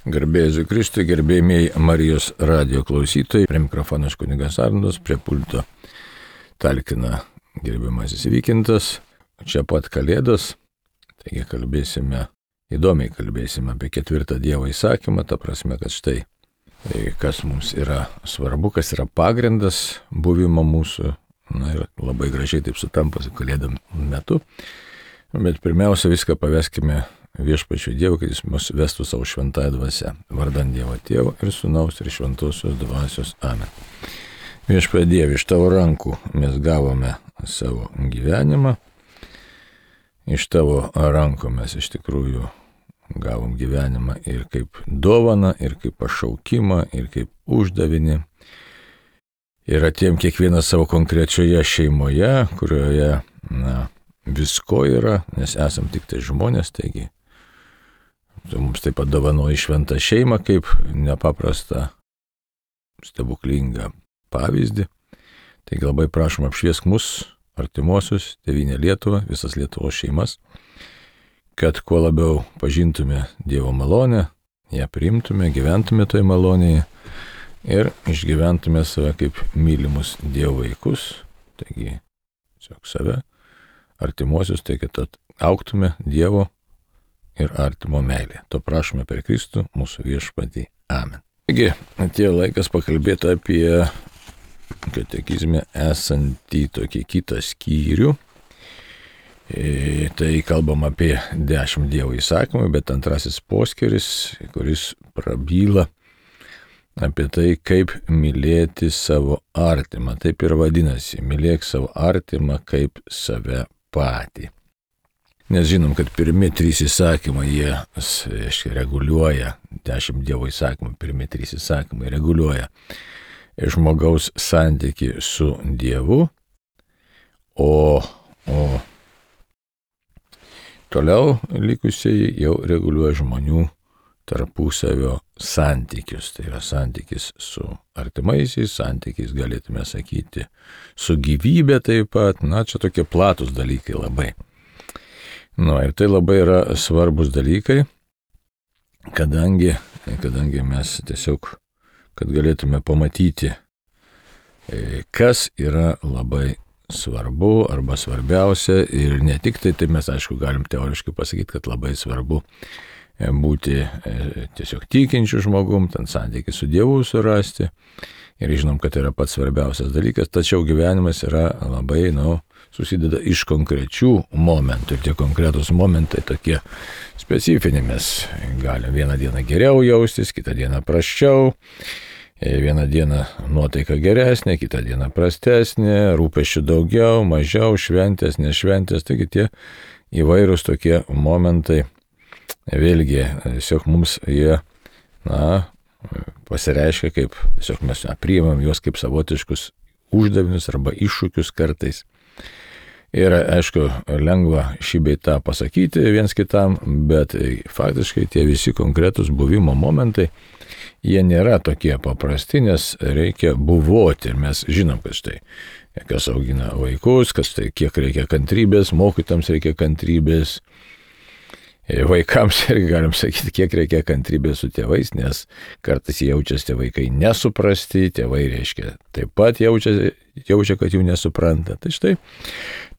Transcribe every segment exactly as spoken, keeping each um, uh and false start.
Garbėsiu Kristui, gerbėjai Marijos radijo klausytojai, prie mikrofono kunigas Arnoldas, prie pulto talkina gerbiamasis Vykintas, čia pat Kalėdos, taigi kalbėsime, įdomiai kalbėsime apie ketvirtą Dievo įsakymą, ta prasme, kad štai, kas mums yra svarbu, kas yra pagrindas buvimo mūsų, na ir labai gražiai taip sutampa su Kalėdom metu, bet pirmiausia viską paveskime Viešpačiui Dievui, kad jis mus vestų savo šventąją dvasią, vardan Dievo Tėvo ir Sūnaus ir Šventosios dvasios. Amen. Viešpatie Dieve, iš tavo rankų mes gavome savo gyvenimą, iš tavo rankų mes iš tikrųjų gavom gyvenimą ir kaip dovaną, ir kaip pašaukimą, ir kaip uždavinį. Ir atėjom kiekvieną savo konkrečioje šeimoje, kurioje, na, visko yra, nes esam tik tai žmonės, taigi tu mums taip pat dovanoji šventą šeimą kaip nepaprastą stebuklingą pavyzdį. Taigi labai prašom apšviesk mus, artimuosius, tėvynę Lietuvą, visas Lietuvos šeimas, kad kuo labiau pažintume Dievo malonę, ją priimtume, gyventume toje malonėje ir išgyventume save kaip mylimus Dievo vaikus, taigi tiesiog save, artimuosius, tai kad augtume Dievo ir artimo meilė. To prašome per Kristų, mūsų Viešpatį. Amen. Taigi, atėjo laikas pakalbėti apie katekizme esantį tokį kitą skyrių. E, tai kalbam apie dešimt Dievo įsakymų, bet antrasis poskyris, kuris prabyla apie tai, kaip mylėti savo artimą. Taip ir vadinasi, mylėk savo artimą kaip save patį. Nes žinom, kad pirmi trys įsakymai, jie aiškiai reguliuoja, dešimt Dievo įsakymų, pirmi trys įsakymai reguliuoja žmogaus santykį su Dievu, o, o toliau likusieji jau reguliuoja žmonių tarpusavio santykius. Tai yra santykis su artimaisiais, santykis galėtume sakyti su gyvybė taip pat, na čia tokie platus dalykai labai. Nu, ir tai labai yra svarbus dalykai, kadangi, kadangi mes tiesiog, kad galėtume pamatyti, kas yra labai svarbu arba svarbiausia ir ne tik tai, tai mes aišku galim teoriškai pasakyti, kad labai svarbu būti tiesiog tikinčių žmogum, ten santykį su Dievu surasti ir žinom, kad tai yra pats svarbiausias dalykas, tačiau gyvenimas yra labai, nu, susideda iš konkrečių momentų ir tie konkretus momentai tokie specifiniai. Mes galim vieną dieną geriau jaustis, kitą dieną prasčiau, vieną dieną nuotaika geresnė, kitą dieną prastesnė, rūpesčių daugiau, mažiau, šventės, nešventės, taigi tie įvairūs tokie momentai, vėlgi, tiesiog mums jie, na, pasireiškia kaip, tiesiog mes na, priimam juos kaip savotiškus uždavinius arba iššūkius kartais. Ir aišku, lengva šį bei tą pasakyti viens kitam, bet faktiškai tie visi konkretus buvimo momentai, jie nėra tokie paprasti, nes reikia buvoti. Ir mes žinom, kad štai, kas augina vaikus, kas tai kiek reikia kantrybės, mokytams reikia kantrybės, vaikams irgi galim sakyti, kiek reikia kantrybės su tėvais, nes kartais jaučiasi tie vaikai nesuprasti, tėvai reiškia taip pat jaučia, jaučia, kad jų nesupranta. Tai štai,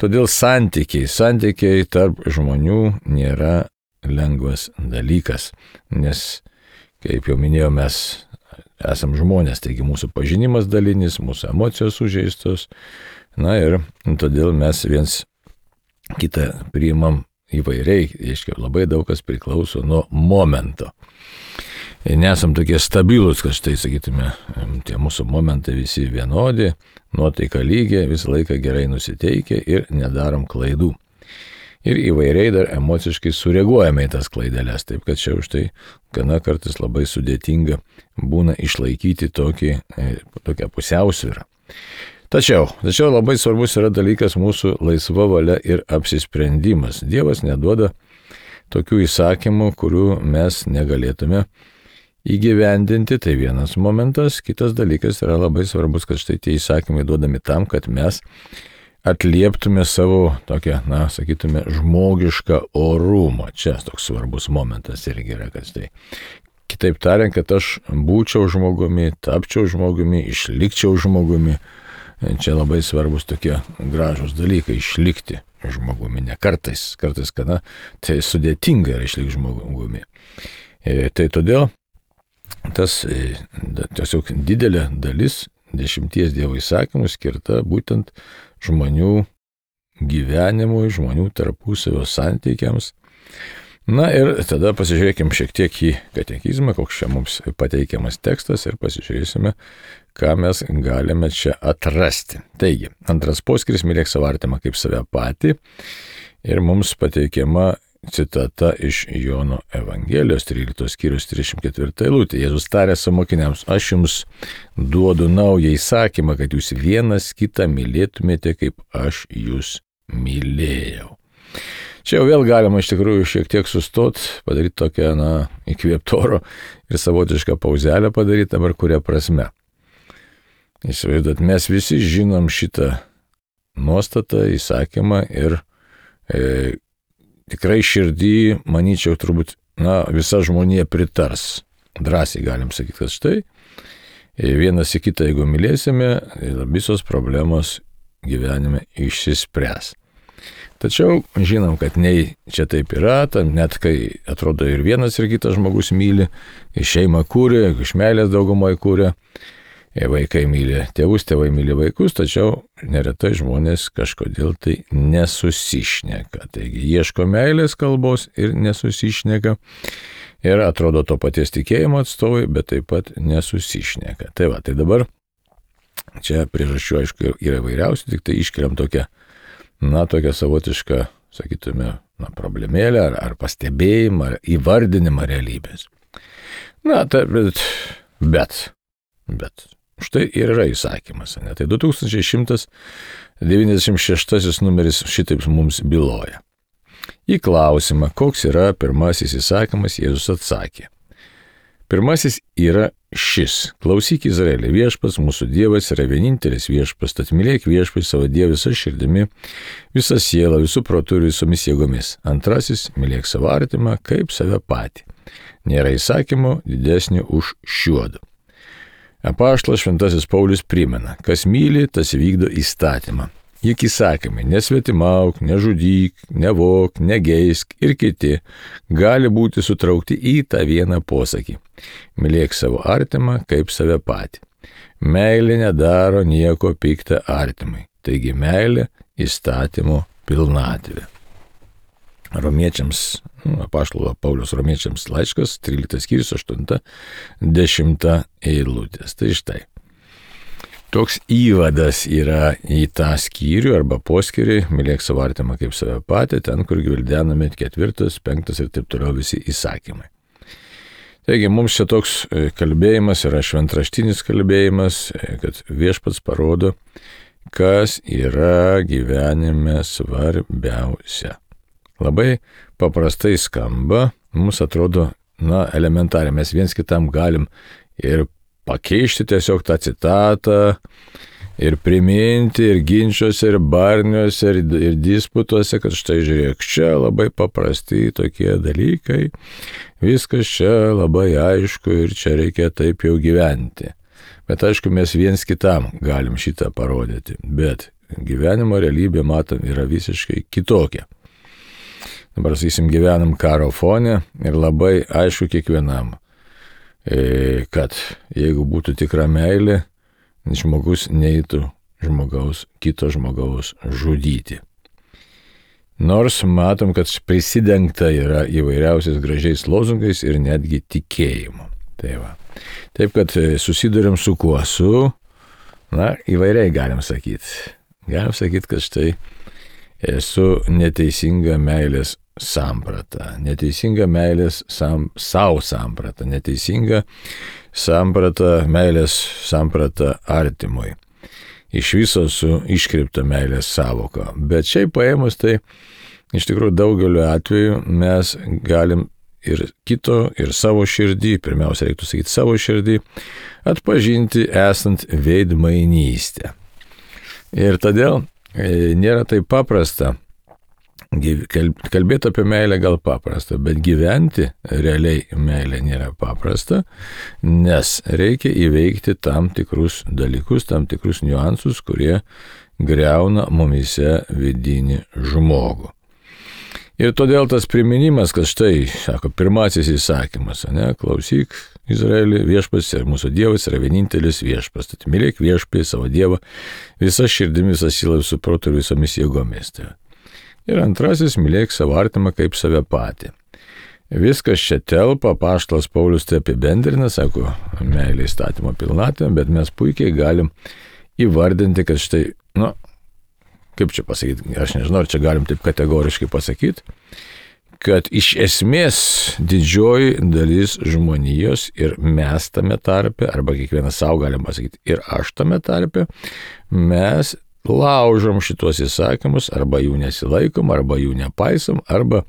todėl santykiai, santykiai tarp žmonių nėra lengvas dalykas, nes, kaip jau minėjau, mes esam žmonės, taigi mūsų pažinimas dalinis, mūsų emocijos sužeistos, na ir todėl mes viens kitą priimam įvairiai, reiškia, labai daug kas priklauso nuo momento. Nesam tokie stabilūs, kad štai, sakytume, tie mūsų momentai visi vienodi, nuotaika lygiai, visą laiką gerai nusiteikę ir nedarom klaidų. Ir įvairiai dar emociškai sureaguojame į tas klaideles, taip kad čia už tai gana kartais labai sudėtinga būna išlaikyti tokį, tokią pusiausvyrą. Tačiau, tačiau labai svarbus yra dalykas mūsų laisva valia ir apsisprendimas. Dievas neduoda tokių įsakymų, kurių mes negalėtume įgyvendinti, tai vienas momentas. Kitas dalykas yra labai svarbus, kad štai tie įsakymai duodami tam, kad mes atlieptume savo tokią, na, sakytume, žmogišką orumą. Čia toks svarbus momentas irgi yra, kad štai Kitaip tariant, kad aš būčiau žmogumi, tapčiau žmogumi, išlikčiau žmogumi. Čia labai svarbus tokie gražus dalykai - išlikti žmogumi. Ne kartais, kartais kada tai sudėtinga yra išlikti žmogumi. E, tai todėl tas e, tiesiog didelė dalis dešimties Dievo įsakymų skirta būtent žmonių gyvenimui, žmonių tarpusavio santykiams. Na ir tada pasižiūrėkime šiek tiek į katekizmą, koks čia mums pateikiamas tekstas ir pasižiūrėsime, ką mes galime čia atrasti. Taigi, antras poskiris - mylėk savo artimą kaip save patį. Ir mums pateikiama citata iš Jono Evangelijos tryliktos skyrius trisdešimt ketvirta eilutė. Jėzus tarė savo mokiniams: aš jums duodu naują įsakymą, kad jūs vienas kitą mylėtumėte, kaip aš jūs mylėjau. Čia jau vėl galima iš tikrųjų šiek tiek sustot, padaryti tokią, na, įkvėptoro ir savotišką pauzelę padaryti, dabar kuria prasme. Įsivaizduot, mes visi žinom šitą nuostatą, įsakymą ir e, tikrai širdį, manyčiau, turbūt, na, visa žmonija pritars. Drąsiai galim sakyti, kad štai, vienas į kitą, jeigu mylėsime, visos problemos gyvenime išsispręs. Tačiau žinom, kad nei čia taip yra, net kai atrodo ir vienas ir kitas žmogus myli, šeimą kūrė, iš meilės daugumoje kūrė, vaikai myli tėvus, tėvai myli vaikus, tačiau neretai žmonės kažkodėl tai nesusišneka. Taigi ieško meilės kalbos ir nesusišneka. Ir atrodo to paties tikėjimo atstovai, bet taip pat nesusišneka. Tai va, tai dabar čia priežasčių, aišku, yra įvairiausių, tik tai iškeliam tokią, na, tokią savotišką, sakytume, na, problemėlę ar, ar pastebėjimą, ar įvardinimą realybės. Na, tai, bet, bet, bet, štai ir yra įsakymas, ne? Tai du tūkstančiai šimtas devyniasdešimt šeštasis numeris šitaip mums byloja. Į klausimą, koks yra pirmasis įsakymas, Jėzus atsakė: pirmasis yra šis: klausyk Izraeli, viešpats mūsų Dievas yra vienintelis viešpats, tad mylėk viešpatį savo Dievą visą širdimi, visą sielą, visų protų ir visomis jėgomis. Antrasis - mylėk savo artimą kaip save patį. Nėra įsakymo didesnio už šiuodu. Apaštalas Šventasis Paulius primena: kas myli, tas vykdo įstatymą. Juk įsakymai nesvetimauk, nežudyk, nevok, negeisk ir kiti gali būti sutraukti į tą vieną posakį: mylėk savo artimą kaip save patį. Meilė nedaro nieko pikta artimai, taigi meilė įstatymo pilnatvė. Romiečiams, apaštalo Pauliaus Romiečiams laiškas, tryliktas skyrius, aštunta dešimta eilutės. Tai štai. Toks įvadas yra į tą skyrių arba poskyrį, mylėk savo artimą kaip save patį, ten, kur gvildenami ketvirtas, penktas ir taip toliau visi įsakymai. Taigi mums čia toks kalbėjimas yra šventraštinis kalbėjimas, kad viešpats parodo, kas yra gyvenime svarbiausia. Labai paprastai skamba, mums atrodo, na, elementariai, mes viens kitam galim ir pakeisti tiesiog tą citatą ir priminti ir ginčiuose, ir barniuose, ir, ir disputuose, kad štai žiūrėk, čia labai paprasti tokie dalykai, viskas čia labai aišku ir čia reikia taip jau gyventi. Bet aišku, mes viens kitam galim šitą parodyti, bet gyvenimo realybė, matom, yra visiškai kitokia. Dabar, sakysim, gyvenam karo fone ir labai aišku kiekvienam, kad jeigu būtų tikra meilė, žmogus neįtų žmogaus, kito žmogaus žudyti. Nors matom, kad prisidengta yra įvairiausiais gražiais lozungais ir netgi tikėjimu. Tai va. Taip, kad susidurėm su kuo? Su, na, įvairiai galim sakyti. Galim sakyti, kad štai esu neteisinga meilės samprata, neteisinga meilės sam, savo samprata, neteisinga samprata, meilės samprata artimui. Iš viso su iškreipta meilės savoka. Bet šiaip paėmus, tai iš tikrųjų daugeliu atveju mes galim ir kito, ir savo širdį, pirmiausia reiktų sakyti savo širdį, atpažinti esant veidmainystę. Ir todėl nėra taip paprasta Kalbėti apie meilę gal paprasta, bet gyventi realiai meilė nėra paprasta, nes reikia įveikti tam tikrus dalykus, tam tikrus niuansus, kurie griauna mumise vidinį žmogų. Ir todėl tas priminimas, kad štai, sako, pirmasis įsakymas, ne, klausyk Izraelį, viešpats ir mūsų Dievas yra vienintelis viešpats. Tad mylėk viešpatį savo Dievą visą širdimi, visą sielą, visų protų ir visomis jėgomis. Ir antrasis, mylėk savo artimą kaip save patį. Viskas čia telpa, apaštalas Paulius tai apibendrina, sako, meilė įstatymo pilnatvė, bet mes puikiai galim įvardinti, kad štai, nu, kaip čia pasakyti, aš nežinau, ar čia galim taip kategoriškai pasakyti, kad iš esmės didžioji dalis žmonijos ir mes tame tarpe, arba kiekvienas savo galim pasakyti, ir aš tame tarpe, mes laužom šitos įsakymus, arba jų nesilaikom, arba jų nepaisom, arba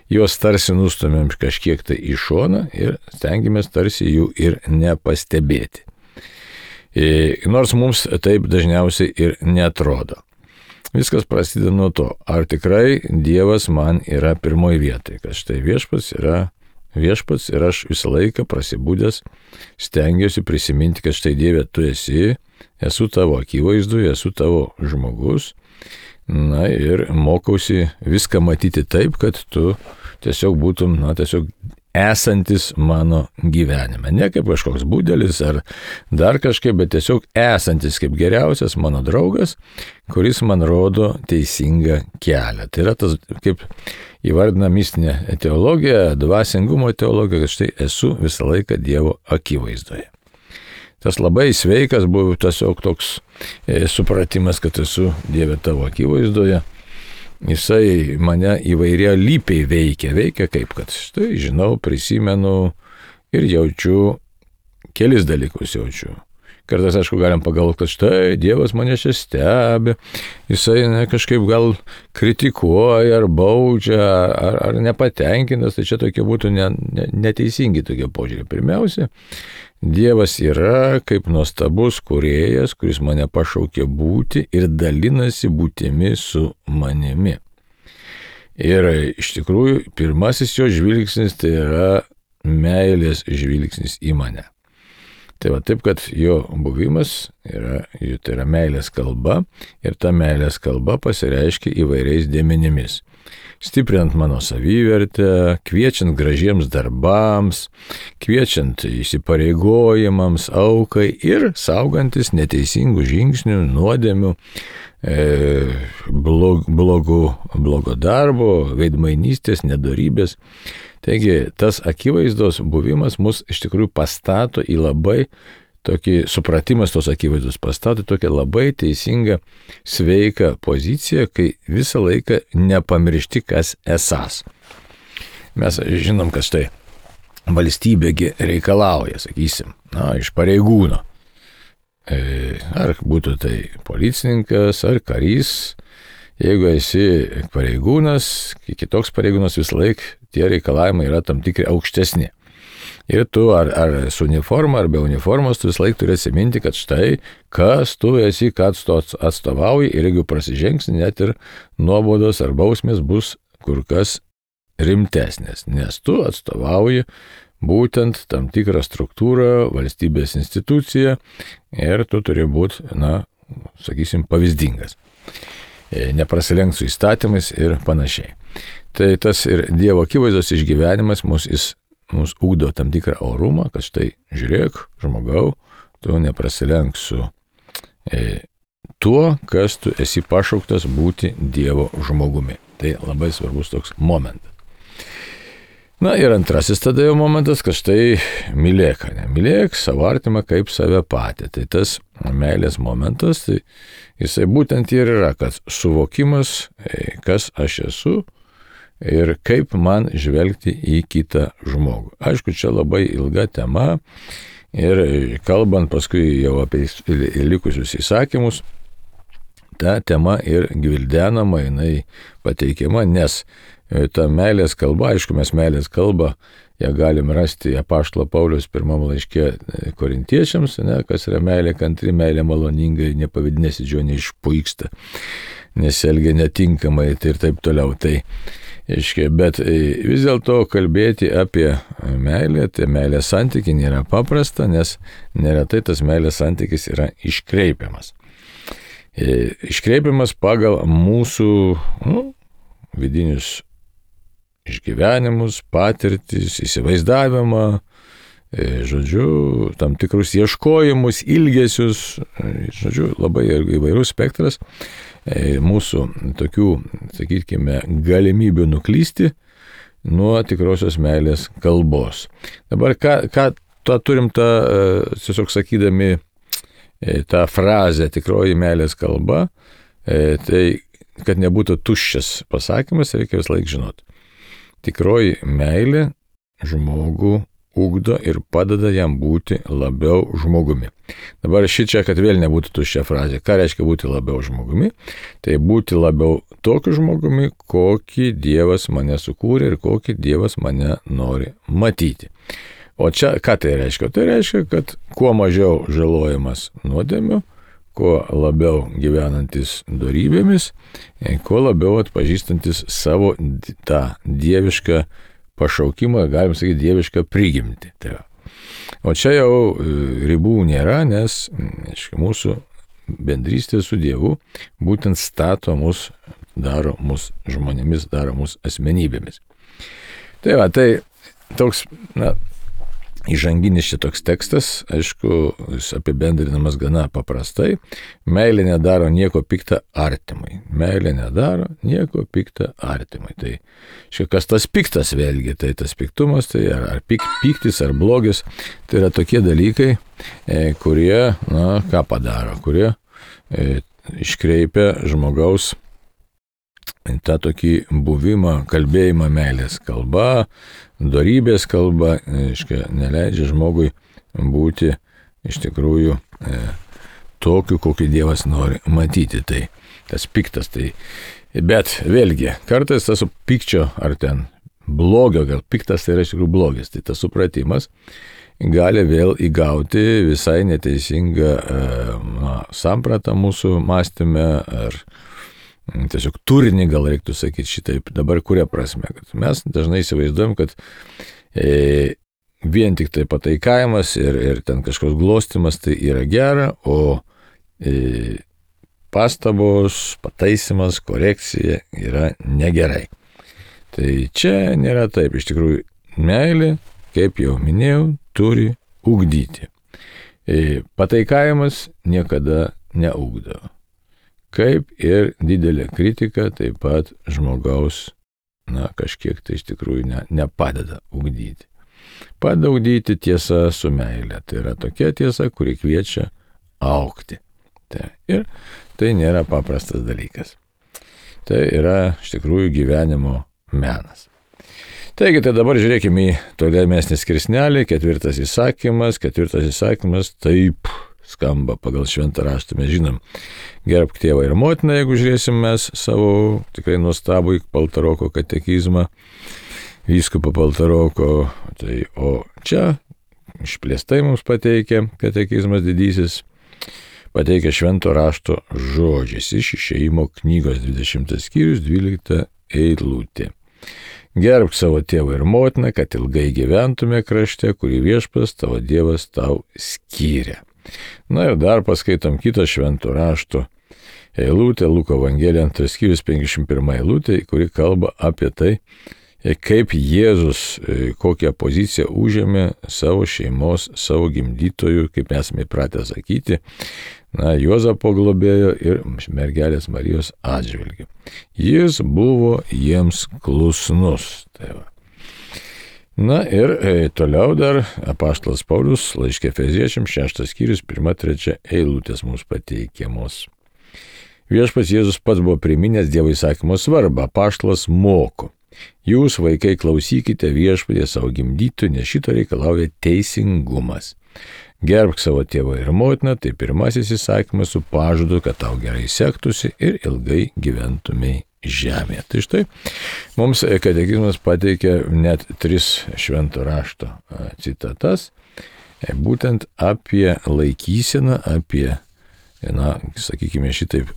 juos tarsi nustumėm kažkiek tai į šoną ir stengiamės tarsi jų ir nepastebėti. Nors mums taip dažniausiai ir netrodo. Viskas prasideda nuo to, ar tikrai Dievas man yra pirmoji vietoje, kad štai viešpats yra viešpats ir aš visą laiką prasibūdęs stengiuosi prisiminti, kad štai Dieve tu esi, esu tavo akivaizdoje, esu tavo žmogus, na ir mokausi viską matyti taip, kad tu tiesiog būtum, na tiesiog esantis mano gyvenime. Ne kaip kažkoks būdelis ar dar kažkaip, bet tiesiog esantis kaip geriausias mano draugas, kuris man rodo teisingą kelią. Tai yra tas, kaip įvardina mistinė teologija, dvasingumo teologija, kad štai esu visą laiką Dievo akivaizdoje. Tas labai sveikas buvo tiesiog toks e, supratimas, kad esu Dieve tavo akivaizdoje. Jisai mane įvairia lypiai veikia, veikia kaip, kad štai žinau, prisimenu ir jaučiu, kelis dalykus jaučiu. Kartais, aišku, galim pagalvoti, kad štai Dievas mane čia stebi, jisai ne, kažkaip gal kritikuoja ar baudžia, ar, ar nepatenkintas, tai čia tokie būtų ne, ne, neteisingi tokie požiūrį. Pirmiausia, Dievas yra kaip nuostabus kūrėjas, kuris mane pašaukė būti ir dalinasi būtimi su manimi. Ir iš tikrųjų, pirmasis jo žvilgsnis tai yra meilės žvilgsnis į mane. Tai va taip, kad jo buvimas yra, tai yra meilės kalba ir ta meilės kalba pasireiškia įvairiais dėmenimis. Stiprinant mano savivertę, kviečiant gražiems darbams, kviečiant įsipareigojimams, aukai ir saugantis neteisingų žingsnių, nuodėmių, e, blog, blogų, blogo darbo, veidmainystės, nedorybės. Taigi tas akivaizdos buvimas mus iš tikrųjų pastato į labai tokį supratimas tos akivaizdos pastato tokią labai teisingą, sveiką poziciją, kai visą laiką nepamiršti, kas esas. Mes žinom, kad štai valstybėgi reikalauja, sakysim, na, iš pareigūno. Ar būtų tai policininkas, ar karys, jeigu esi pareigūnas, kitoks pareigūnas visą laiką, tie reikalavimai yra tam tikri aukštesni. Ir tu ar, ar su uniforma, ar be uniformos, tu visą laiką turi atsiminti, kad štai, kas tu esi, kad tu atstovauji ir jeigu prasižengsi, net ir nuobaudos ar bausmės bus kur kas rimtesnės, nes tu atstovauji būtent tam tikrą struktūrą, valstybės instituciją ir tu turi būti, na, sakysim, pavyzdingas. Neprasilenk su įstatymais ir panašiai. Tai tas ir Dievo akivaizdos išgyvenimas mus jis mums ugdo tam tikrą orumą, kad štai žiūrėk, žmogau, tu neprasilenk su e, tuo, kas tu esi pašauktas būti Dievo žmogumi. Tai labai svarbus toks momentas. Na ir antrasis tada jau momentas, kad štai mylėk, ne, mylėk savo artimą kaip save patį. Tai tas meilės momentas, tai jisai būtent ir yra, kad suvokimas, e, kas aš esu, ir kaip man žvelgti į kitą žmogų. Aišku, čia labai ilga tema ir kalbant paskui jau apie likusius įsakymus, ta tema ir gvildenama, jinai pateikiama, nes ta meilės kalba, aišku, mes meilės kalbą, ją galim rasti apaštalo Pauliaus pirmam laiške Korintiečiams, ne, kas yra meilė kantri, meilė maloninga ir nepavadinėsi džio neišpuiksta. nesielgia netinkamai tai ir taip toliau. Tai, aiškiai, bet vis dėlto kalbėti apie meilę, tai meilės santykį nėra paprasta, nes neretai tas meilės santykis yra iškreipiamas. Iškreipiamas pagal mūsų nu, vidinius išgyvenimus, patirtis, įsivaizdavimą, žodžiu, tam tikrus ieškojimus, ilgesius, žodžiu, labai įvairus spektras mūsų tokių, sakykime, galimybių nuklysti nuo tikrosios meilės kalbos. Dabar ką, ką tą turim tą, tiesiog sakydami tą frazę tikroji meilės kalba, tai kad nebūtų tuščias pasakymas, reikia vis laik žinoti. Tikroji meilė žmogų ugdo ir padeda jam būti labiau žmogumi. Dabar šičia, kad vėl nebūtų tuščia frazė. Ką reiškia būti labiau žmogumi? Tai būti labiau tokiu žmogumi, kokį Dievas mane sukūrė ir kokį Dievas mane nori matyti. O čia ką tai reiškia? Tai reiškia, kad kuo mažiau žalojimas nuodėmių, kuo labiau gyvenantis dorybėmis, kuo labiau atpažįstantis savo tą dievišką pašaukimą, galim sakyti, dievišką prigimtį. Tai o čia jau ribų nėra, nes aiškia, mūsų bendrystė su Dievu būtent stato mus, daro mus žmonėmis, daro mus asmenybėmis. Tai va, tai toks, na, įžanginis šitoks tekstas, aišku, jis apibendrinamas gana paprastai. Meilė nedaro nieko pikta artimui. Meilė nedaro nieko pikta artimui. Tai šiek kas tas piktas vėlgi, tai tas piktumas, tai ar, ar pik, piktis, ar blogis, tai yra tokie dalykai, e, kurie, na, ką padaro, kurie e, iškreipia žmogaus tą tokį buvimą, kalbėjimą meilės kalba, dorybės kalba, aiškia, neleidžia žmogui būti iš tikrųjų e, tokiu, kokį Dievas nori matyti. Tai tas piktas. Tai, bet vėlgi, kartais tas pikčio ar ten blogio, gal piktas tai yra iš tikrųjų blogis, tai tas supratimas gali vėl įgauti visai neteisingą e, na, sampratą mūsų mąstyme ar tiesiog turinį, gal reiktų sakyti šitaip, dabar kuria prasme, kad mes dažnai įsivaizduojam, kad e, vien tik tai pataikavimas ir, ir ten kažkoks glostimas tai yra gera, o e, pastabos, pataisimas, korekcija yra negerai. Tai čia nėra taip, iš tikrųjų meilė, kaip jau minėjau, turi ugdyti. E, pataikavimas niekada neugdo. Kaip ir didelė kritika taip pat žmogaus, na, kažkiek tai iš tikrųjų ne, nepadeda ugdyti. Padeda ugdyti tiesa su meilė. Tai yra tokia tiesa, kuri kviečia augti. Tai, ir tai nėra paprastas dalykas. Tai yra iš tikrųjų gyvenimo menas. Taigi, tai dabar žiūrėkime į tolimesnį skirsnelį, ketvirtas įsakymas, ketvirtas įsakymas, taip skamba pagal šventą raštą, mes žinom, gerbk tėvą ir motiną, jeigu žiūrėsim mes savo tikrai nuostabų Paltaroko katekizmą, vyskupo Paltaroko, tai o čia išplėstai mums pateikia katekizmas didysis, pateikia švento rašto žodžiais iš Išėjimo knygos dvidešimtas skyrius, dvylikta eilutė. Gerbk savo tėvą ir motiną, kad ilgai gyventume krašte, kurį Viešpats tavo Dievas tau skyrė. Na ir dar paskaitom kitą švento rašto eilutę, Luko Evangelija antras skyrius penkiasdešimt pirma eilutė, kuri kalba apie tai, kaip Jėzus kokią poziciją užėmė savo šeimos, savo gimdytojų, kaip esame įpratę sakyti, na, Juozapo globėjo ir mergelės Marijos atžvilgiu. Jis buvo jiems klusnus. Tai va. Na ir e, toliau dar apaštalas Paulius laiške Efeziečiams šeštas skyrius pirma trečia eilutės mums pateikiamos. Viešpats Jėzus pats buvo priminęs Dievo įsakymo svarbą, apaštalas moko. Jūs, vaikai, klausykite Viešpatie savo gimdytojų, nes šito reikalauja teisingumas. Gerbk savo tėvą ir motiną, tai pirmasis įsakymas su pažadu, kad tau gerai sektųsi ir ilgai gyventumei žemėje. Tai štai, mums katekizmas pateikia net tris švento rašto citatas, būtent apie laikyseną, apie, na, sakykime šitaip,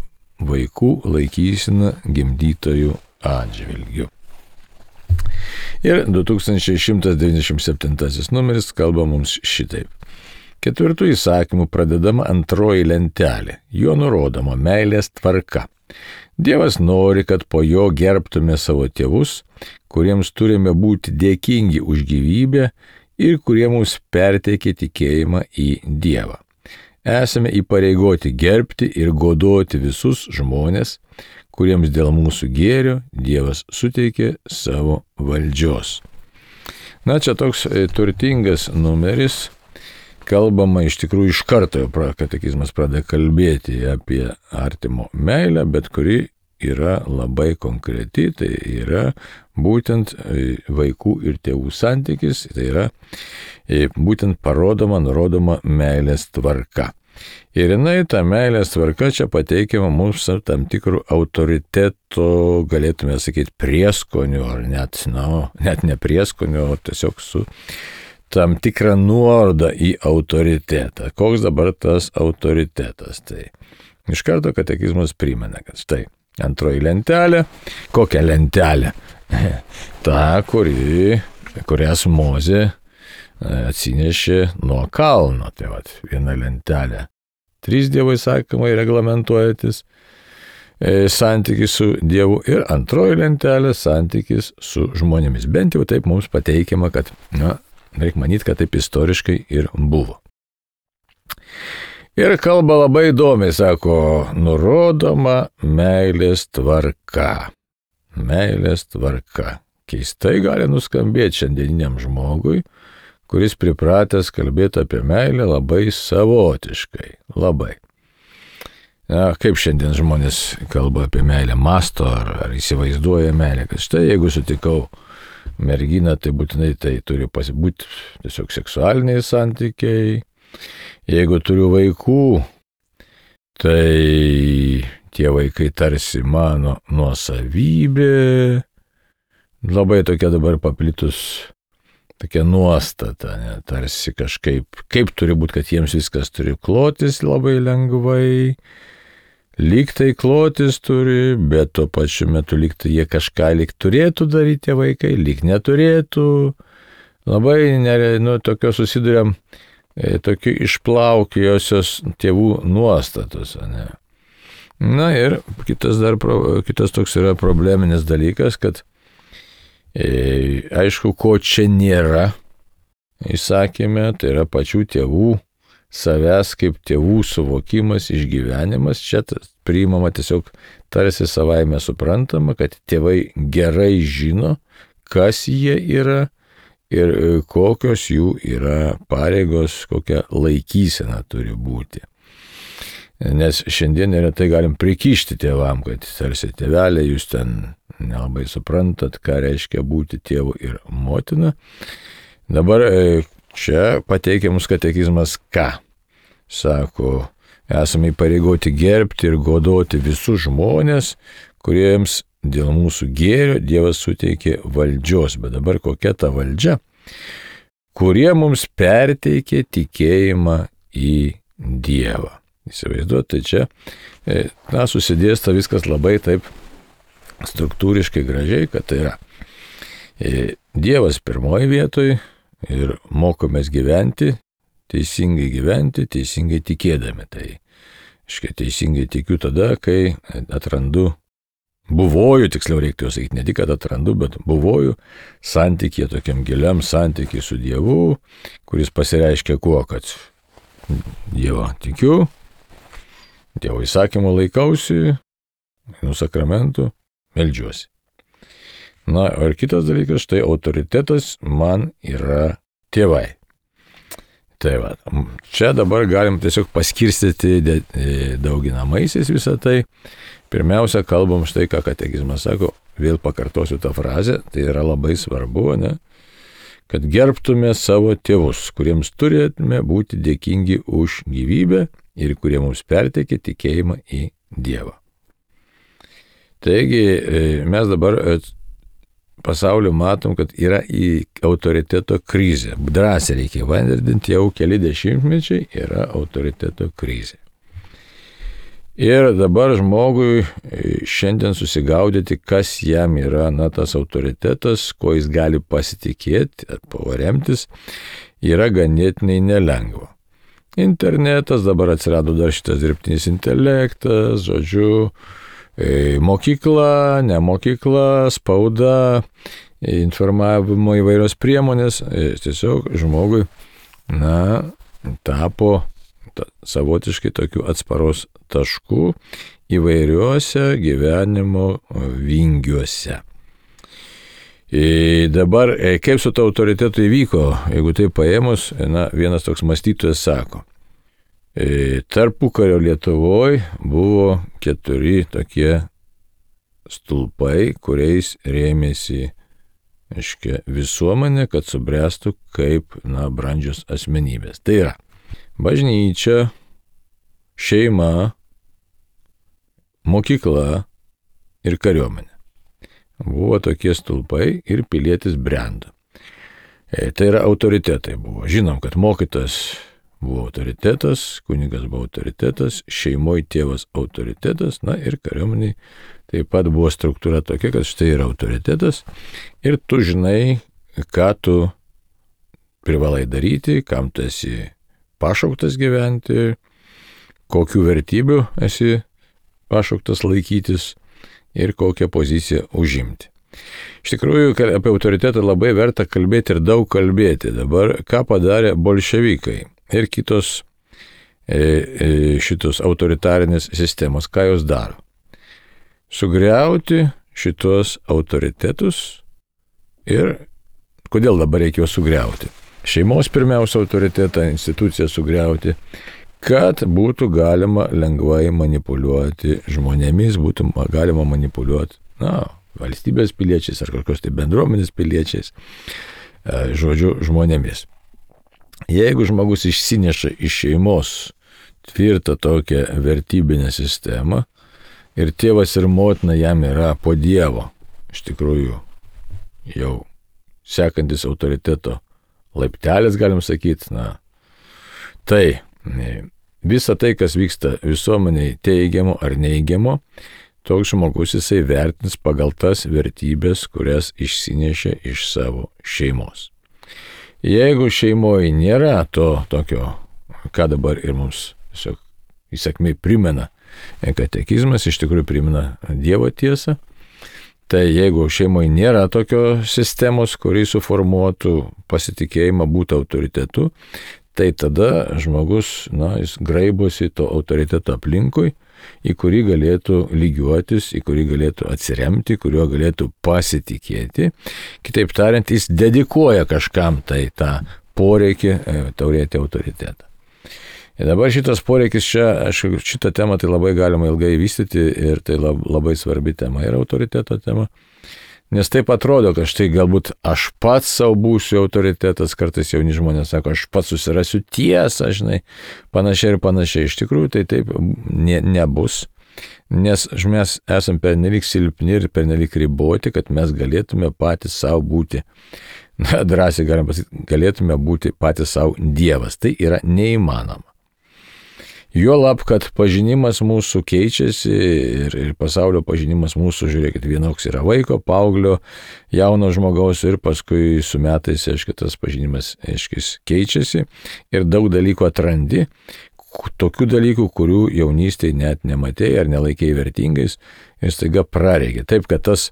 vaikų laikysena gimdytojų atžvilgiu. Ir du tūkstančiai šimtas devyniasdešimt septintasis numeris kalba mums šitaip. Ketvirtų įsakymų pradedama antroji lentelė, juo nurodoma meilės tvarka. Dievas nori, kad po jo gerbtume savo tėvus, kuriems turime būti dėkingi už gyvybę ir kurie mums perteikė tikėjimą į Dievą. Esame įpareigoti gerbti ir godoti visus žmonės, kuriems dėl mūsų gėrio Dievas suteikė savo valdžios. Na, čia toks turtingas numeris. Kalbama iš tikrųjų iš karto, katekizmas pradeda kalbėti apie artimo meilę, bet kuri yra labai konkreti, tai yra būtent vaikų ir tėvų santykis, tai yra būtent parodoma, nurodoma meilės tvarka. Ir jinai, ta meilės tvarka čia pateikiama mums tam tikrų autoriteto, galėtume sakyti, prieskonių, ar net, na, net ne prieskonių, o tiesiog su tam tikrą nuorodą į autoritetą. Koks dabar tas autoritetas? Tai iš karto katekizmas primena, kad štai antroji lentelė. Kokią lentelę? Ta, kuri, kurias Mozė atsinešė nuo kalno. Tai vat, viena lentelė. Trys Dievo įsakymai reglamentuojantis santykis su Dievu ir antroji lentelė santykis su žmonėmis. Bent jau taip mums pateikiama, kad, na, reikia manyti, kad taip istoriškai ir buvo. Ir kalba labai įdomiai, sako, nurodoma meilės tvarka. Meilės tvarka. Keistai gali nuskambėti šiandieniniam žmogui, kuris pripratęs kalbėti apie meilę labai savotiškai. Labai. Na, kaip šiandien žmonės kalba apie meilę, masto ar, ar įsivaizduoja meilę, kad štai jeigu sutikau merginą, tai būtinai tai turi pasibūti tiesiog seksualiniai santykiai. Jeigu turiu vaikų, tai tie vaikai tarsi mano nuosavybė. Labai tokia dabar paplitus tokia nuostata, ne, tarsi kažkaip, kaip turi būti, kad jiems viskas turi klotis labai lengvai. Lyg tai klotis turi, bet tuo pačiu metu lyg tai jie kažką lyg turėtų daryti tie vaikai, lyg neturėtų. Labai, nu, tokio susiduriam, e, tokiu išplaukėjusios tėvų nuostatos, ne. Na ir kitas, dar, kitas toks yra probleminis dalykas, kad e, aišku, ko čia nėra, įsakėme, tai yra pačių tėvų savęs kaip tėvų suvokimas, išgyvenimas. Čia priimama tiesiog tarsi savaime suprantama, kad tėvai gerai žino, kas jie yra ir kokios jų yra pareigos, kokia laikysena turi būti. Nes šiandien neretai galim prikišti tėvam, kad tarsi tėvelė, jūs ten nelabai suprantat, ką reiškia būti tėvu ir motina. Dabar čia pateikiamus katekizmas ką? Sako, esame įpareigoti gerbti ir godoti visus žmonės, kuriems dėl mūsų gėrio Dievas suteikė valdžios. Bet dabar kokia ta valdžia? Kurie mums perteikė tikėjimą į Dievą. Įsivaizduot, tai čia, na, susidėsta viskas labai taip struktūriškai gražiai, kad tai yra Dievas pirmoji vietoj ir mokomės gyventi, teisingai gyventi, teisingai tikėdami. Tai, aiškiai, teisingai tikiu tada, kai atrandu, buvoju, tiksliau reiktų sakyti, ne tik, kad atrandu, bet buvoju santykį, tokiam giliam santykį su Dievu, kuris pasireiškia kuo, kad Dievo tikiu, Dievo įsakymų laikausi, einu sakramentų, meldžiuosi. Na, ir kitas dalykas, štai autoritetas man yra tėvai. Tai va, čia dabar galim tiesiog paskirstyti dauginamaisiais visą tai. Pirmiausia, kalbam štai, ką katekizmas sako, vėl pakartosiu tą frazę, tai yra labai svarbu, ne, kad gerbtume savo tėvus, kuriems turėtume būti dėkingi už gyvybę ir kurie mums perteikė tikėjimą į Dievą. Taigi, mes dabar pasauliu matom, kad yra į autoriteto krizė. Drąsiai reikia vardinti, jau keli dešimtmečiai yra autoriteto krizė. Ir dabar žmogui šiandien susigaudyti, kas jam yra, na, tas autoritetas, ko jis gali pasitikėti, pavaremtis, yra ganėtinai nelengva. Internetas, dabar atsirado dar šitas dirbtinis intelektas, žodžiu, mokykla, ne mokykla, spauda, informavimo įvairios priemonės, tiesiog žmogui, na, tapo savotiškai tokių atsparos taškų įvairiuose gyvenimo vingiuose. Ir dabar, kaip su to autoritetu įvyko, jeigu tai paėmus, na, vienas toks mąstytojas sako, tarpukario Lietuvoje buvo keturi tokie stulpai, kuriais rėmėsi, aiškia, visuomenė, kad subręstų kaip, na, brandžios asmenybės. Tai yra bažnyčia, šeima, mokykla ir kariuomenė. Buvo tokie stulpai ir pilietis brendo. E, tai yra autoritetai buvo. Žinom, kad mokytas buvo autoritetas, kunigas buvo autoritetas, šeimoje tėvas autoritetas, na ir kariuomeniai taip pat buvo struktūra tokia, kad štai yra autoritetas ir tu žinai, ką tu privalai daryti, kam tu esi pašauktas gyventi, kokių vertybių esi pašauktas laikytis ir kokią poziciją užimti. Iš tikrųjų, apie autoritetą labai verta kalbėti ir daug kalbėti. Dabar, ką padarė bolševikai ir kitos e, e, šitos autoritarinės sistemos, ką jos daro? Sugriauti šitos autoritetus ir kodėl dabar reikėjo sugriauti? Šeimos pirmiausia autoritetą, instituciją sugriauti, kad būtų galima lengvai manipuliuoti žmonėmis, būtų galima manipuliuoti, na, valstybės piliečiais ar kokios tai bendruomenės piliečiais, žodžiu, žmonėmis. Jeigu žmogus išsineša iš šeimos tvirtą tokią vertybinę sistemą ir tėvas ir motina jam yra po Dievo, iš tikrųjų jau sekantis autoriteto laiptelis, galim sakyti, na, tai visa tai, kas vyksta visuomeniai teigiamo ar neigiamo, toks žmogus jisai vertins pagal tas vertybės, kurias išsinešė iš savo šeimos. Jeigu šeimoje nėra to tokio, ką dabar ir mums tiesiog įsakmiai primena katekizmas, iš tikrųjų primena Dievo tiesą, tai jeigu šeimoje nėra tokio sistemos, kuri suformuotų pasitikėjimą būti autoritetu, tai tada žmogus, na, jis graibosi to autoriteto aplinkui, į kurį galėtų lygiuotis, į kurį galėtų atsiremti, kuriuo galėtų pasitikėti. Kitaip tariant, jis dedikuoja kažkam tai tą poreikį turėti autoritetą. Ir dabar šitas poreikis čia, aš šitą temą tai labai galima ilgai vystyti ir tai labai svarbi tema yra autoriteto tema. Nes taip atrodo, kad štai galbūt aš pats savo būsiu autoritetas, kartais jauni žmonės sako, aš pats susirasiu tiesą, žinai, panašiai ir panašiai. Iš tikrųjų tai taip ne, nebus, nes mes esame pernelyg silpni ir pernelyg riboti, kad mes galėtume patys savo būti, na, drąsiai galim pasakyti, galėtume būti patys savo Dievas. Tai yra neįmanoma. Juolab, kad pažinimas mūsų keičiasi ir, ir pasaulio pažinimas mūsų, žiūrėkit, vienoks yra vaiko, paauglio, jauno žmogaus ir paskui su metais, aiškiai, tas pažinimas, aiškiai, keičiasi ir daug dalykų atrandi, tokių dalykų, kurių jaunystėje net nematėjai ar nelaikėjai vertingais ir staiga prareikia. Taip, kad tas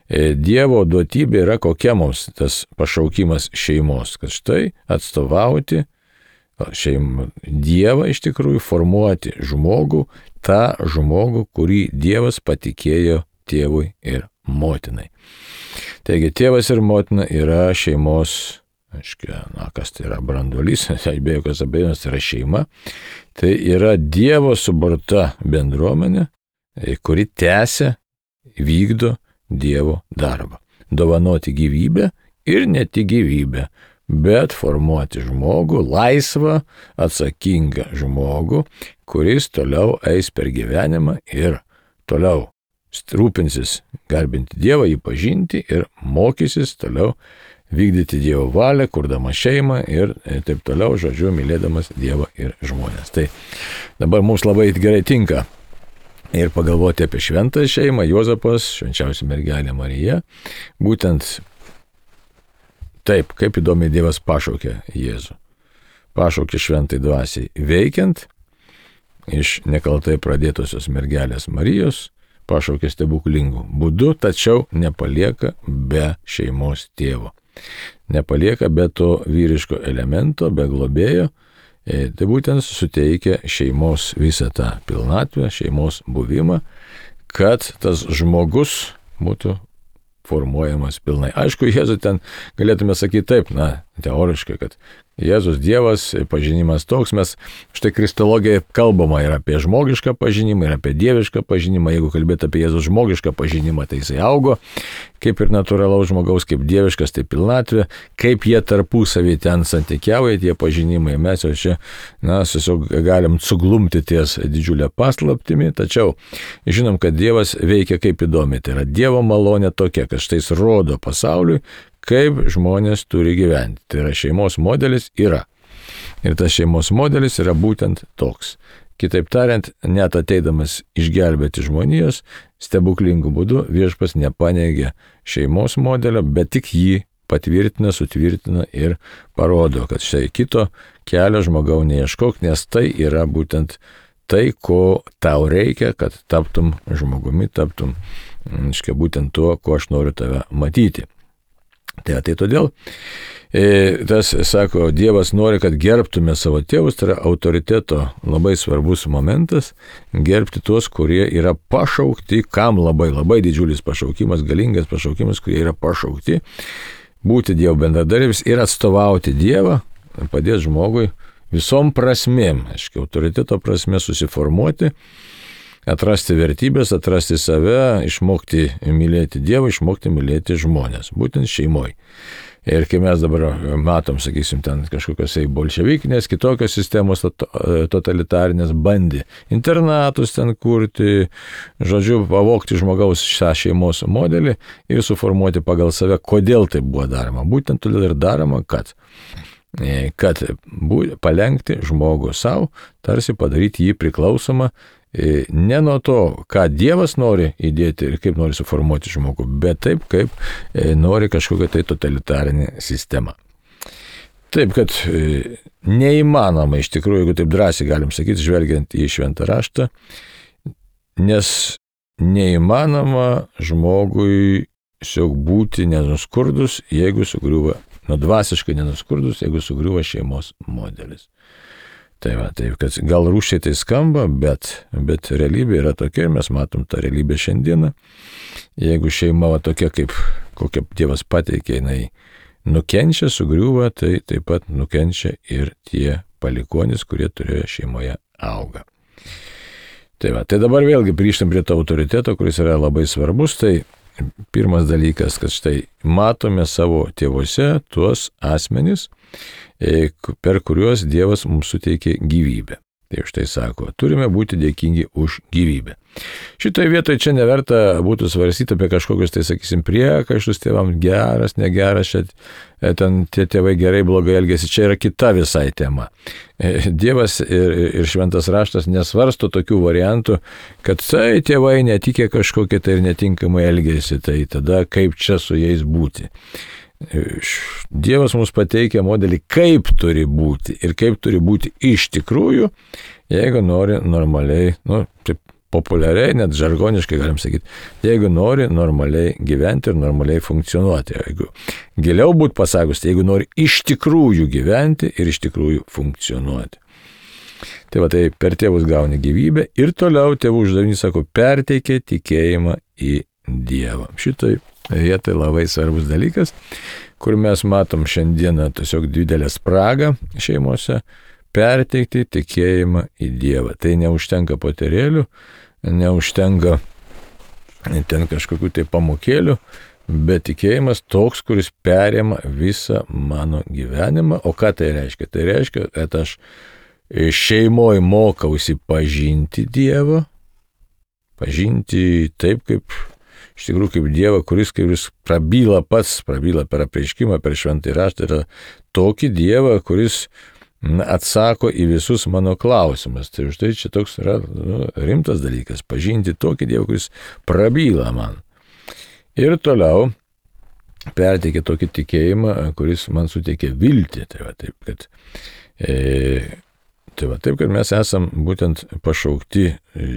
e, Dievo duotybė yra kokia mums tas pašaukimas šeimos, kad štai atstovauti šeimą, Dievą iš tikrųjų, formuoti žmogų, tą žmogų, kurį Dievas patikėjo tėvui ir motinai. Taigi tėvas ir motina yra šeimos, aiškiai, na, kas tai yra branduolys, be jokios abejonės tai yra šeima, tai yra Dievo suburta bendruomenė, kuri tęsia, vykdo Dievo darbą. Dovanoti gyvybę ir ne tik gyvybę, bet formuoti žmogų, laisvą, atsakingą žmogų, kuris toliau eis per gyvenimą ir toliau rūpinsis garbinti Dievą, jį pažinti ir mokysis toliau vykdyti Dievo valią, kurdama šeimą ir taip toliau, žodžiu, mylėdamas Dievą ir žmonės. Tai dabar mums labai gerai tinka ir pagalvoti apie šventą šeimą, Juozapas, švenčiausia mergelė Marija. Būtent taip, kaip įdomiai Dievas pašaukė Jėzų. Pašaukė šventai dvasiai veikiant iš nekaltai pradėtosios mergelės Marijos, pašaukė stebuklingų būdų, tačiau nepalieka be šeimos tėvo. Nepalieka be to vyriško elemento, be globėjo. E, tai būtent suteikia šeimos visą tą pilnatvę, šeimos buvimą, kad tas žmogus būtų formuojamas pilnai. Aišku, Jėzų ten galėtume sakyti taip, na, teoriškai, kad Jėzus Dievas, pažinimas toks, mes štai kristologija kalbama ir apie žmogišką pažinimą, ir apie dievišką pažinimą. Jeigu kalbėti apie Jėzus žmogišką pažinimą, tai jisai augo, kaip ir natūralaus žmogaus, kaip dieviškas, tai pilnatvė, kaip jie tarpusavį ten santykiauja, tie pažinimai. Mes jau čia, na, tiesiog galim suglumti ties didžiulę paslaptimi, tačiau žinom, kad Dievas veikia kaip įdomi. Tai yra Dievo malonė tokia, kad štai jis rodo pasauliui, kaip žmonės turi gyventi. Tai yra šeimos modelis yra. Ir tas šeimos modelis yra būtent toks. Kitaip tariant, net ateidamas išgelbėti žmonijos, stebuklingų būdų viešpats nepaneigia šeimos modelio, bet tik jį patvirtina, sutvirtina ir parodo, kad štai kito kelio žmogau neieškok, nes tai yra būtent tai, ko tau reikia, kad taptum žmogumi, taptum, aiškiai, būtent tuo, ko aš noriu tave matyti. Tai, tai todėl e, tas, sako, Dievas nori, kad gerbtume savo tėvus, tai yra autoriteto labai svarbus momentas, gerbti tuos, kurie yra pašaukti, kam labai, labai didžiulis pašaukimas, galingas pašaukimas, kurie yra pašaukti, būti Dievo bendradarbiais ir atstovauti Dievą, padėti žmogui visom prasmėm, aiškiai, autoriteto prasme susiformuoti, atrasti vertybės, atrasti save, išmokti mylėti Dievą, išmokti mylėti žmonės, būtent šeimoje. Ir kai mes dabar matom, sakysim, ten kažkokios bolševikinės, kitokios sistemos totalitarinės bandė internatus ten kurti, žodžiu, pavogti žmogaus šią šeimos modelį ir suformuoti pagal save, kodėl tai buvo daroma. Būtent todėl ir daroma, kad kad palenkti žmogų savo, tarsi padaryti jį priklausomą ne nuo to, ką Dievas nori įdėti ir kaip nori suformuoti žmogų, bet taip, kaip nori kažkokia tai totalitarinė sistema. Taip, kad neįmanoma iš tikrųjų, jeigu taip drąsiai galim sakyti, žvelgiant į šventą raštą, nes neįmanoma žmogui tiesiog būti nenuskurdus, jeigu sugriuva, nu dvasiškai nenuskurdus, jeigu sugriuva šeimos modelis. Tai va, taip, kad gal rūšiai tai skamba, bet, bet realybė yra tokia ir mes matom tą realybę šiandieną. Jeigu šeima va tokia, kaip kokia Dievas pateikė, jinai nukenčia, sugriuva, tai taip pat nukenčia ir tie palikuonys, kurie turėjo šeimoje augą. Tai va, tai dabar vėlgi grįžtam prie to autoriteto, kuris yra labai svarbus. Tai pirmas dalykas, kad štai matome savo tėvuose tuos asmenis, per kuriuos Dievas mums suteikė gyvybę. Tai štai sako, turime būti dėkingi už gyvybę. Šitoje vietoje čia neverta būtų svarstyti apie kažkokius, tai sakysim, priekaištus tėvam, geras, negeras, čia ten tie tėvai gerai, blogai elgėsi, čia yra kita visai tema. Dievas ir, ir šventas raštas nesvarsto tokių variantų, kad tai tėvai netikė kažkokie tai ir netinkamai elgėsi, tai tada kaip čia su jais būti. Dievas mums pateikia modelį, kaip turi būti ir kaip turi būti iš tikrųjų, jeigu nori normaliai, nu, taip populiariai, net žargoniškai galim sakyti, jeigu nori normaliai gyventi ir normaliai funkcionuoti. Jeigu giliau būtų pasakus, jeigu nori iš tikrųjų gyventi ir iš tikrųjų funkcionuoti. Tai va, tai per tėvus gauni gyvybę ir toliau tėvų uždavinys, sako, perteikia tikėjimą į Dievą. Šitai vietoj labai svarbus dalykas, kur mes matom šiandieną tiesiog didelę spragą šeimose, perteikti tikėjimą į Dievą. Tai neužtenka poterėlių, neužtenka ten kažkokių tai pamokėlių, bet tikėjimas toks, kuris perima visą mano gyvenimą. O ką tai reiškia? Tai reiškia, kad aš šeimoje mokausi pažinti Dievą, pažinti taip, kaip iš tikrųjų kaip Dievą, kuris, kaip jis prabyla pats, prabyla per apreiškimą, per šventąjį raštą, yra tokį Dievą, kuris atsako į visus mano klausimus. Tai už tai čia toks yra nu, rimtas dalykas, pažinti tokį Dievą, kuris prabyla man. Ir toliau perteikė tokį tikėjimą, kuris man suteikė viltį. Tai va taip, kad, e, tai va, taip, kad mes esam būtent pašaukti e,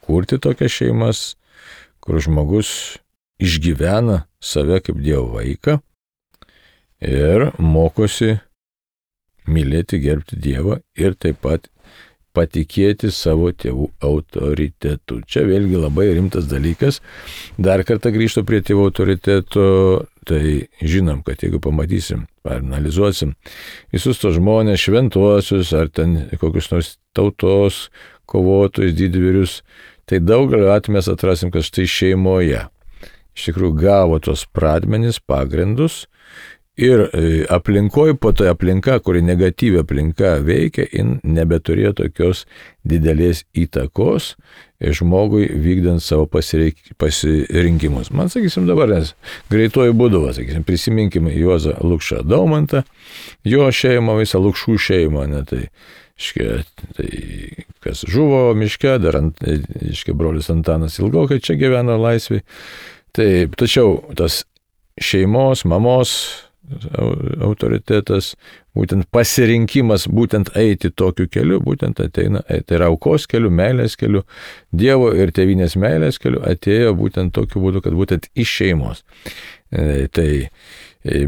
kurti tokias šeimas, kur žmogus išgyvena save kaip Dievo vaiką ir mokosi mylėti, gerbti Dievą ir taip pat patikėti savo tėvų autoritetu. Čia vėlgi labai rimtas dalykas. Dar kartą grįžtu prie tėvų autoriteto, tai žinom, kad jeigu pamatysim, ar analizuosim visus tos žmonės, šventuosius, ar ten kokius nors tautos kovotojus, didvyrius, tai daugelio atveju mes atrasim, kad štai šeimoje iš tikrųjų gavo tos pradmenis, pagrindus, ir aplinkoje, po to aplinka, kuri negatyvi aplinka veikia, jin nebeturėjo tokios didelės įtakos žmogui vykdant savo pasirinkimus. Man, sakysim, dabar, nes greituoju būdu, sakysim, prisiminkim Juozą Lukšą Daumantą, jo šeimą, visą Lukšų šeimą, ne, tai, iškia, tai kas žuvo miške, dar ant, iškia, brolis Antanas ilgokai čia gyveno laisvėj. Taip, tačiau tas šeimos, mamos autoritetas, būtent pasirinkimas, būtent eiti tokiu keliu, būtent ateina, tai yra aukos keliu, meilės keliu, Dievo ir tėvynės meilės keliu, atėjo būtent tokiu būdu, kad būtent iš šeimos. Tai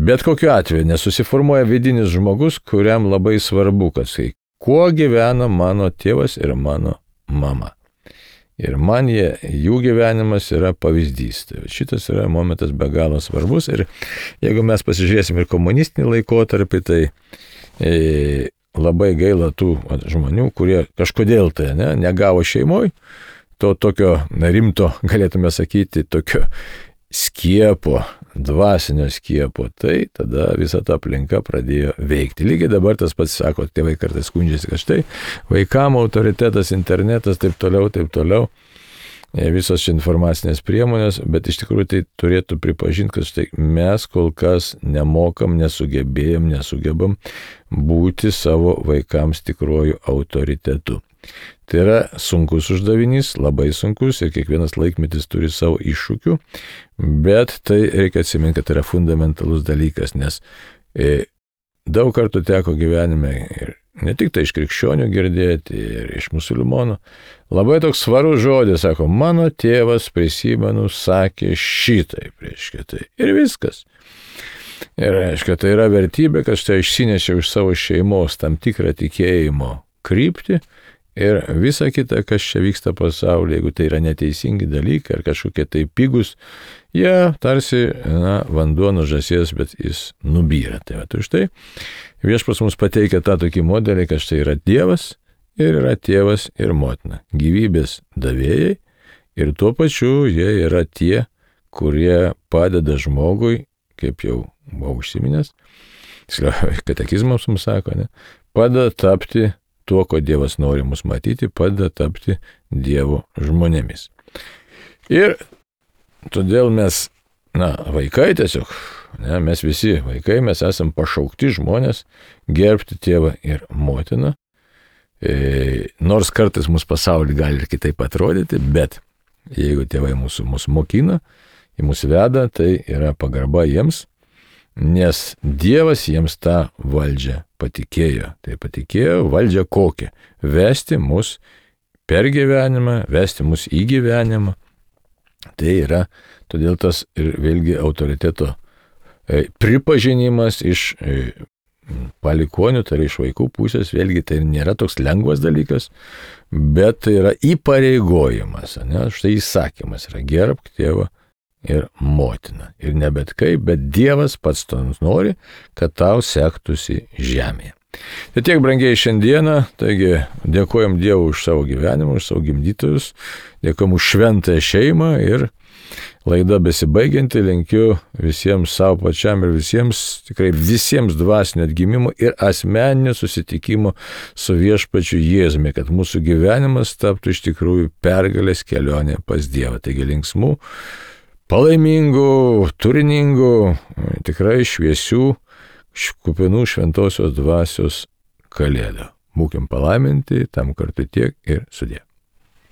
bet kokiu atveju nesusiformuoja vidinis žmogus, kuriam labai svarbu, kad tai, kuo gyvena mano tėvas ir mano mama. Ir man jie, jų gyvenimas yra pavyzdys. Tai šitas yra momentas be galo svarbus. Ir jeigu mes pasižiūrėsim ir komunistinį laikotarpį, tai e, labai gaila tų žmonių, kurie kažkodėl tai ne, negavo šeimoje, to tokio rimto, galėtume sakyti, tokio skiepo, dvasinio skiepo, tai tada visa ta aplinka pradėjo veikti. Lygiai dabar tas pats sako, tėvai kartais skundžiasi, kad štai vaikam autoritetas, internetas, taip toliau, taip toliau, visos informacinės priemonės, bet iš tikrųjų tai turėtų pripažinti, kad štai mes kol kas nemokam, nesugebėjom, nesugebam būti savo vaikams tikruoju autoritetu. Tai yra sunkus uždavinys, labai sunkus ir kiekvienas laikmetis turi savo iššūkių, bet tai reikia atsiminti, kad tai yra fundamentalus dalykas, nes e, daug kartų teko gyvenime ir ne tik tai iš krikščionių girdėti, ir iš musulmonų, labai toks svarus žodis, sako, mano tėvas, prisimenu, sakė šitaip, reiškia tai. Ir viskas. Ir reiškia, tai yra vertybė, kad štai išsinešiau iš savo šeimos tam tikrą tikėjimo kryptį, ir visa kita, kas čia vyksta pasaulyje, jeigu tai yra neteisingi dalykai ar kažkokie tai pigus, jie tarsi na, vanduo nuo žąsies, bet jis nubyra. Tai va, tai štai Viešpats mums pateikia tą tokį modelį, kad štai yra Dievas ir yra tėvas ir motina. Gyvybės davėjai ir tuo pačiu jie yra tie, kurie padeda žmogui, kaip jau buvau užsiminęs, katekizmas mums sako, ne, padeda tapti tuo, ko Dievas nori mus matyti, padeda tapti Dievo žmonėmis. Ir todėl mes, na, vaikai tiesiog, ne, mes visi vaikai, mes esam pašaukti žmonės gerbti tėvą ir motiną, e, nors kartais mūsų pasaulį gali ir kitaip atrodyti, bet jeigu tėvai mūsų, mūsų mokina, į mūsų veda, tai yra pagarba jiems, nes Dievas jiems tą valdžią patikėjo. Tai patikėjo valdžią kokią? Vesti mus per gyvenimą, vesti mus į gyvenimą. Tai yra, todėl tas ir vėlgi autoriteto e, pripažinimas iš e, palikonių, tai yra iš vaikų pusės, vėlgi tai nėra toks lengvas dalykas, bet tai yra įpareigojimas, ne? Štai įsakymas yra gerbk tėvą ir motina. Ir ne bet kaip, bet Dievas pats to nori, kad tau sektųsi žemėje. Tai tiek, brangiai, šiandieną, taigi dėkojam Dievui už savo gyvenimą, už savo gimdytojus, dėkojam už šventąją šeimą ir laida besibaigianti, linkiu visiems savo pačiam ir visiems, tikrai visiems dvasinio atgimimo ir asmeninio susitikimo su Viešpačiu Jėzumi, kad mūsų gyvenimas taptų iš tikrųjų pergalės kelionė pas Dievą. Taigi linksmų, palaimingų, turiningų, tikrai šviesių, kupinų šventosios dvasios Kalėdų. Būkim palaiminti, tam kartu tiek ir sudė.